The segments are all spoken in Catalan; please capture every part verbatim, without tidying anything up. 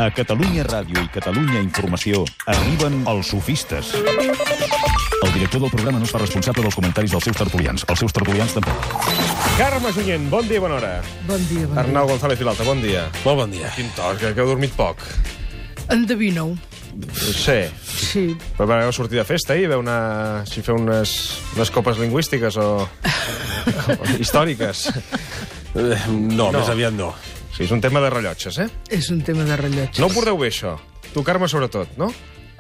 A Catalunya Ràdio i Catalunya Informació arriben els sofistes. El director del programa no es fa responsable dels comentaris dels seus tertulians. Els seus tertulians tampoc. Carme Junyent, bon dia, bona hora. Bon dia, bon dia. Arnau González Vilalta, bon dia. Molt bon dia. Quin to, que, que heu dormit poc. Endevineu. Sí. Sí. Però vau sortir de festa i veu una... si feu unes, unes copes lingüístiques o... o històriques. No, no, més aviat no. Sí, és un tema de rellotges, eh? És un tema de rellotges. No ho porteu bé, això. Tu, Carme, sobretot, no?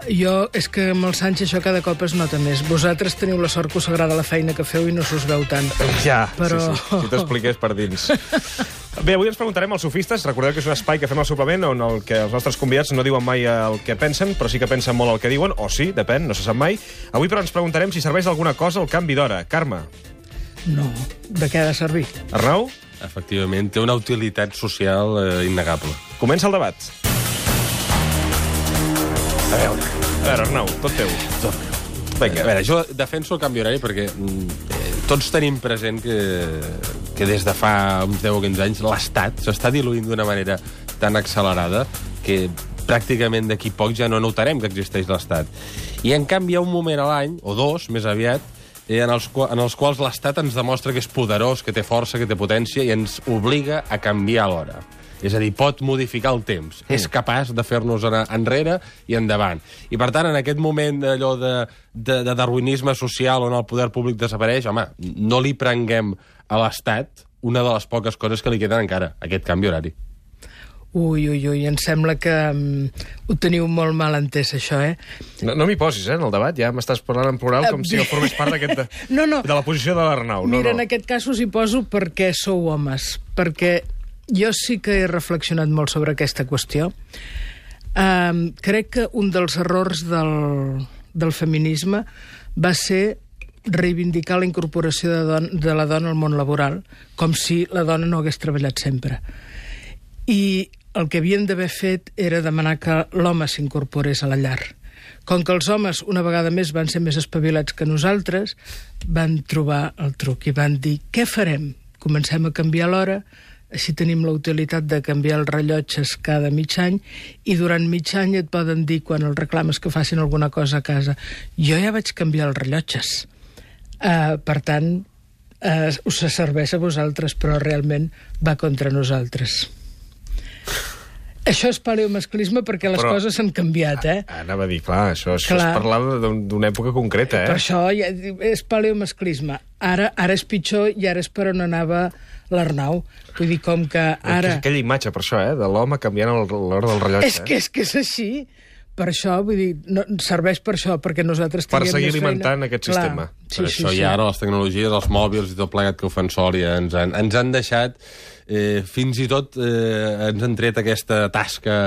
Jo, és que amb el Sánchez això cada cop es nota més. Vosaltres teniu la sort que us agrada la feina que feu i no s'us veu tant. Ja, Però... sí, sí. Si t'expliqués per dins. Bé, avui ens preguntarem als sofistes. Recordeu que és un espai que fem al suplement on el que els nostres convidats no diuen mai el que pensen, però sí que pensen molt el que diuen, o sí, depèn, no se sap mai. Avui, però, ens preguntarem si serveix d'alguna cosa el canvi d'hora. Carme? No, de què ha de servir? Arnau? Efectivament, té una utilitat social eh, innegable. Comença el debat. A veure, A veure, Arnau, tot teu. tot meu. Vinga. A veure, jo defenso el canvi horari perquè mm, eh, tots tenim present que, que des de fa uns deu o quinze anys l'Estat s'està diluint d'una manera tan accelerada que pràcticament d'aquí poc ja no notarem que existeix l'Estat. I en canvi hi ha un moment a l'any, o dos, més aviat, en els, en els quals l'Estat ens demostra que és poderós, que té força, que té potència, i ens obliga a canviar l'hora. És a dir, pot modificar el temps. Mm. És capaç de fer-nos anar enrere i endavant. I, per tant, en aquest moment allò de, de, de darwinisme social on el poder públic desapareix, home, no li prenguem a l'Estat una de les poques coses que li queden encara, aquest canvi horari. Ui, ui, ui, em sembla que um, ho teniu molt mal entès, això, eh? No, no m'hi posis, eh, en el debat. Ja m'estàs parlant en plural com si jo formés part d'aquest... De, no, no. de la posició de l'Arnau. No, Mira, no. en aquest cas us hi poso perquè sou homes, perquè jo sí que he reflexionat molt sobre aquesta qüestió. Um, crec que un dels errors del, del feminisme va ser reivindicar la incorporació de, don, de la dona al món laboral, com si la dona no hagués treballat sempre. I el que havien d'haver fet era demanar que l'home s'incorporés a la llar. Com que els homes, una vegada més, van ser més espavilats que nosaltres, van trobar el truc i van dir, què farem? Comencem a canviar l'hora, així tenim la utilitat de canviar els rellotges cada mig any, i durant mig any et poden dir, quan els reclames que facin alguna cosa a casa, jo ja vaig canviar els rellotges. Uh, per tant, uh, us serveix a vosaltres, però realment va contra nosaltres. Això és paleomasclisme perquè les Però, coses s'han canviat, eh? Anava a dir, clar, això, això Clar. és parlar d'una època concreta, eh? Per això ja, és paleomasclisme. Ara, ara és pitjor i ara és per on anava l'Arnau. Vull dir, com que ara... És aquella imatge, per això, eh? De l'home canviant l'hora del rellotge. És que, és que és així. Per això, vull dir, no, serveix per això, perquè nosaltres Per tinguem seguir més feina. alimentant aquest Clar. sistema. Sí, per sí, això sí. hi ha ara les tecnologies, els mòbils i tot plegat que ho fan sol i ens han, ens han deixat, eh, fins i tot eh, ens han tret aquesta tasca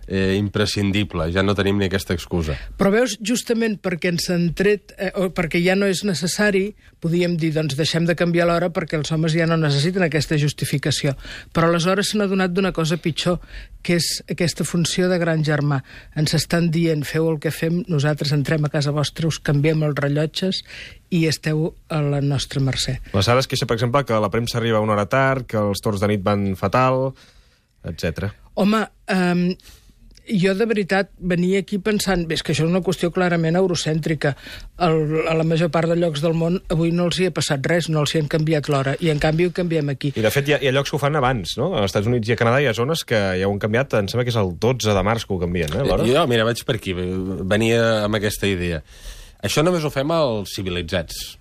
eh, imprescindible. Ja no tenim ni aquesta excusa. Però veus, justament perquè ens han tret, eh, o perquè ja no és necessari, podíem dir, doncs deixem de canviar l'hora perquè els homes ja no necessiten aquesta justificació. Però aleshores s'han adonat d'una cosa pitjor, que és aquesta funció de gran germà. Ens estan dient, feu el que fem, nosaltres entrem a casa vostra, us canviem els rellotges i esteu a la nostra mercè. La Sara es queixa, per exemple, que la premsa arriba una hora tard, que els torns de nit van fatal, etcètera. Home, um, jo de veritat venia aquí pensant, bé, és que això és una qüestió clarament eurocèntrica. El, a la major part de llocs del món avui no els hi ha passat res, no els hi han canviat l'hora, i en canvi ho canviem aquí. I de fet hi ha, hi ha llocs que ho fan abans, no? Als Estats Units i a Canadà hi ha zones que ja ho han canviat, em sembla que és el dotze de març que ho canvien, eh, l'hora? Jo, mira, vaig per aquí, venia amb aquesta idea. Això només ho fem als civilitzats.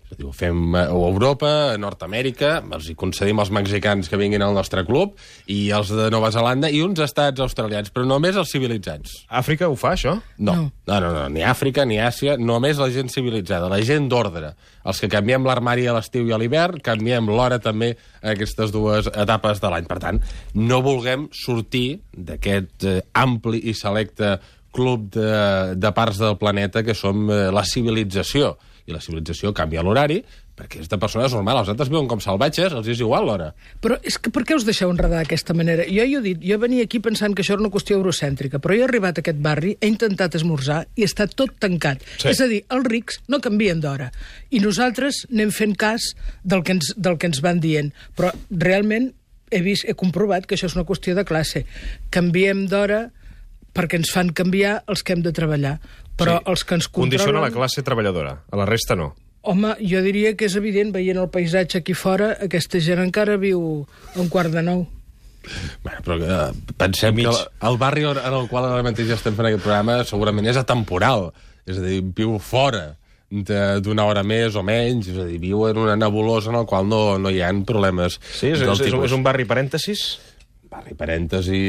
És a dir, ho fem a Europa, a Nord-Amèrica, els hi concedim als mexicans que vinguin al nostre club, i els de Nova Zelanda, i uns estats australians, però només els civilitzats. Àfrica ho fa, això? No, No. no, no, no, ni Àfrica ni Àsia, només la gent civilitzada, la gent d'ordre. Els que canviem l'armari a l'estiu i a l'hivern, canviem l'hora també a aquestes dues etapes de l'any. Per tant, no vulguem sortir d'aquest eh, ampli i selecte club de, de parts del planeta que som eh, la civilització. I la civilització canvia l'horari perquè és de persones normals. Els altres viuen com salvatges, els és igual l'hora. Però és que per què us deixeu enredar d'aquesta manera? Jo hi he dit, jo venia aquí pensant que això era una qüestió eurocèntrica, però jo he arribat a aquest barri, he intentat esmorzar i està tot tancat. Sí. És a dir, els rics no canvien d'hora. I nosaltres anem fent cas del que ens, del que ens van dient. Però realment he, vist, he comprovat que això és una qüestió de classe. Canviem d'hora perquè ens fan canviar els que hem de treballar. Però Sí, els que ens controlen... Condiciona la classe treballadora, a la resta no. Home, jo diria que és evident, veient el paisatge aquí fora, aquesta gent encara viu a un quart de nou. Bueno, però eh, pensem I mig. que el, el barri en el qual ara mateix estem fent aquest programa segurament és atemporal. És a dir, viu fora d'una hora més o menys, és a dir, viu en una nebulosa en el qual no, no hi ha problemes. Sí, és, del és, és, un, tipus. és un barri parèntesis? Barri parèntesi,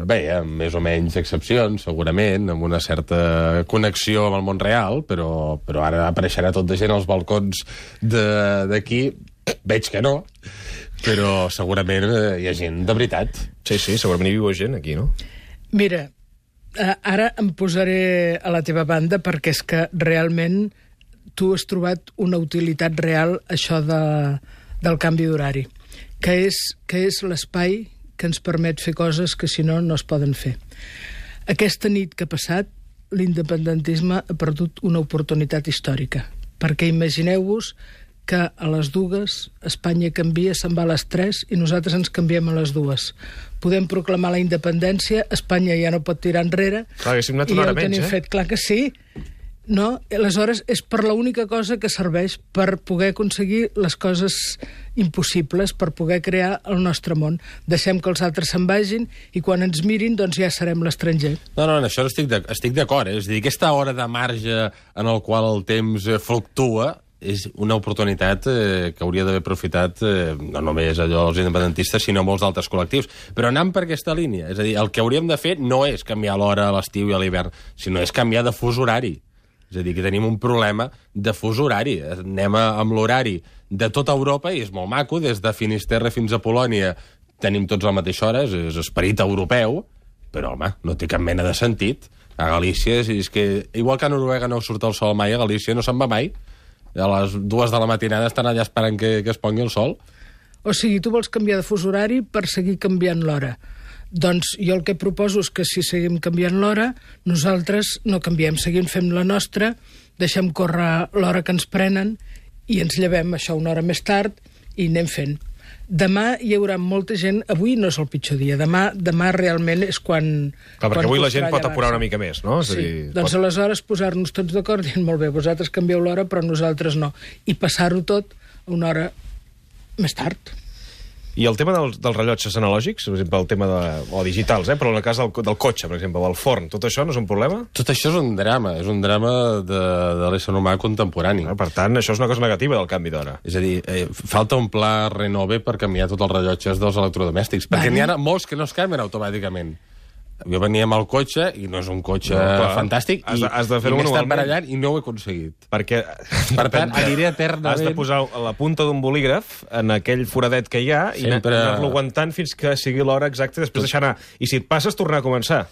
bé, amb més o menys excepcions, segurament, amb una certa connexió amb el món real, però, però ara apareixerà tot de gent als balcons d'aquí. Veig que no, però segurament eh, hi ha gent de veritat. Sí, sí, segurament hi viu gent aquí, no? Mira, eh, ara em posaré a la teva banda perquè és que realment tu has trobat una utilitat real això de, del canvi d'horari, que és, que és l'espai que ens permet fer coses que si no no es poden fer. Aquesta nit que ha passat, l'independentisme ha perdut una oportunitat històrica, perquè imagineu-vos que a les dues Espanya canvia, se'n va a les tres i nosaltres ens canviem a les dues. Podem proclamar la independència, Espanya ja no pot tirar enrere. Clar, haguéssim anat i una ja hora ho tenim menys, eh? fet. Clar que sí. No? Aleshores, és per l'única cosa que serveix per poder aconseguir les coses impossibles, per poder crear el nostre món. Deixem que els altres se'n vagin i quan ens mirin, doncs ja serem l'estranger. No, no, en això estic de- estic d'acord. Eh? És a dir, aquesta hora de marge en el qual el temps eh, fluctua és una oportunitat eh, que hauria d'haver aprofitat eh, no només allò els independentistes, sinó molts altres col·lectius. Però anant per aquesta línia, és a dir, el que hauríem de fer no és canviar l'hora a l'estiu i a l'hivern, sinó és canviar de fus horari. És a dir, que tenim un problema de fus horari. Anem a, amb l'horari de tota Europa i és molt maco, des de Finisterre fins a Polònia tenim tots a la mateixa hora, és, és esperit europeu, però, home, no té cap mena de sentit. A Galícia, és, és que, igual que a Noruega no surt el sol mai, a Galícia no se'n va mai. A les dues de la matinada estan allà esperant que, que es pongui el sol. O sigui, tu vols canviar de fus horari per seguir canviant l'hora. Doncs jo el que proposo és que si seguim canviant l'hora, nosaltres no canviem, seguim fent la nostra, deixem córrer l'hora que ens prenen i ens llevem això una hora més tard i anem fent. Demà hi haurà molta gent... Avui no és el pitjor dia. Demà, demà realment és quan... Clar, perquè quan avui la costarà gent pot apurar llevar-se. una mica més, no? És a Sí, dir, doncs pot... aleshores posar-nos tots d'acord dient, molt bé, vosaltres canvieu l'hora, però nosaltres no. I passar-ho tot a una hora més tard. I el tema dels, dels rellotges analògics, per exemple, el tema de... o digitals, eh? Però en el cas del, del cotxe, per exemple, del forn, tot això no és un problema? Tot això és un drama, és un drama de, de l'ésser humà contemporani. Ah, per tant, això és una cosa negativa del canvi d'hora. És a dir, eh, falta un pla renove per canviar tots els rellotges dels electrodomèstics, perquè n'hi ha molts que no es canvien automàticament. Jo venia amb el cotxe, i no és un cotxe No, clar. fantàstic, Has i, de- has de i fer-ho m'he estat manualment. barallant i no ho he aconseguit. Perquè... Per tant, aniré eternament... Has de posar la punta d'un bolígraf en aquell foradet que hi ha i Sempre- anar-lo aguantant fins que sigui l'hora exacta i després deixar anar. I si et passes, tornar a començar.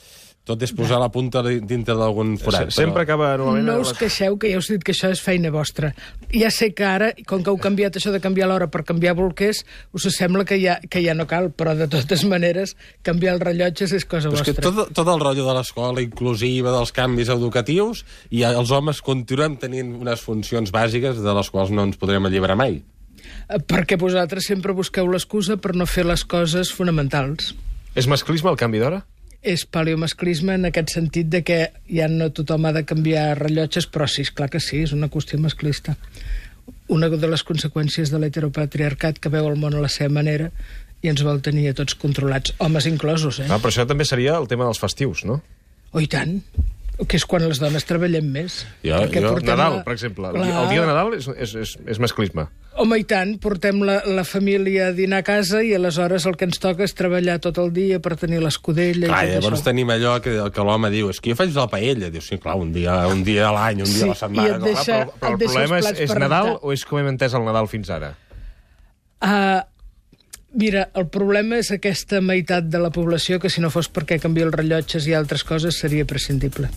Tot és posar la punta dintre d'algun forat. Sempre però... acaba... Normalment, No us queixeu, que ja us he dit que això és feina vostra. Ja sé que ara, com que heu canviat això de canviar l'hora per canviar bolquers, us sembla que ja, que ja no cal, però de totes maneres, canviar els rellotges és cosa Però és que vostra. tot, tot el rotllo de l'escola inclusiva, dels canvis educatius, i els homes continuem tenint unes funcions bàsiques de les quals no ens podrem alliberar mai. Eh, Perquè vosaltres sempre busqueu l'excusa per no fer les coses fonamentals. És masclisme el canvi d'hora? És paleomasclisme en aquest sentit de que ja no tothom ha de canviar rellotges, però sí, és clar que sí, és una qüestió masclista. Una de les conseqüències de l'heteropatriarcat que veu el món a la seva manera i ens vol tenir a tots controlats, homes inclosos, eh? Ah, però això també seria el tema dels festius, no? Oh, i tant. Que és quan les dones treballem més. Jo- Perquè jo- portem Nadal, la- per exemple. El, Clar. dia- el dia de Nadal és, és, és, és masclisme. Home, i tant, portem la, la família a dinar a casa i aleshores el que ens toca és treballar tot el dia per tenir l'escudella Clar, i tot llavors això. tenim allò que, que l'home diu, és que jo faig la paella. Diu, sí, clar, un dia, un dia a l'any, un dia Sí, a la setmana. i et no? deixa- Clar, però, però el et deixa problema els és, plats és per Nadal rentar. o és com hem entès el Nadal fins ara? Uh, mira, el problema és aquesta meitat de la població que si no fos perquè canvia els rellotges i altres coses seria prescindible.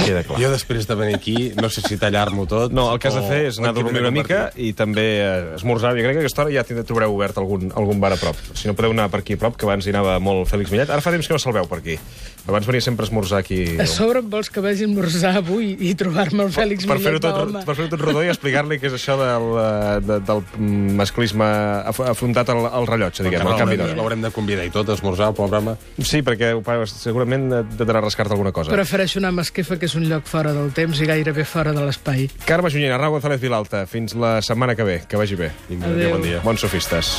Queda clar. Jo després de venir aquí, no sé si tallar-m'ho tot... No, el que has de fer és anar a dormir una mica i... i també eh, esmorzar. Jo crec que a aquesta hora ja trobareu obert algun, algun bar a prop. Si no, podeu anar per aquí a prop, que abans hi anava molt Fèlix Millet. Ara fa temps que no se'l veu per aquí. Abans venia sempre a esmorzar aquí. A sobre em vols que vagi a esmorzar avui i trobar-me el Fèlix Per fer-ho Millet, tot, home. per fer tot rodó i explicar-li què és això del, eh, de, del masclisme af afrontat al, al rellotge, diguem, al canvi d'hora. L'haurem de convidar i tot a esmorzar, el pobre home. Sí, perquè segurament de d'anar a rascar-te alguna cosa. Prefereixo anar a Masquefa, que és un lloc fora del temps i gairebé fora de l'espai. Carme Junyent, Arnau González Vilalta, fins la setmana que ve. Que vagi bé. Vinga, adéu, bon dia. Bons sofistes.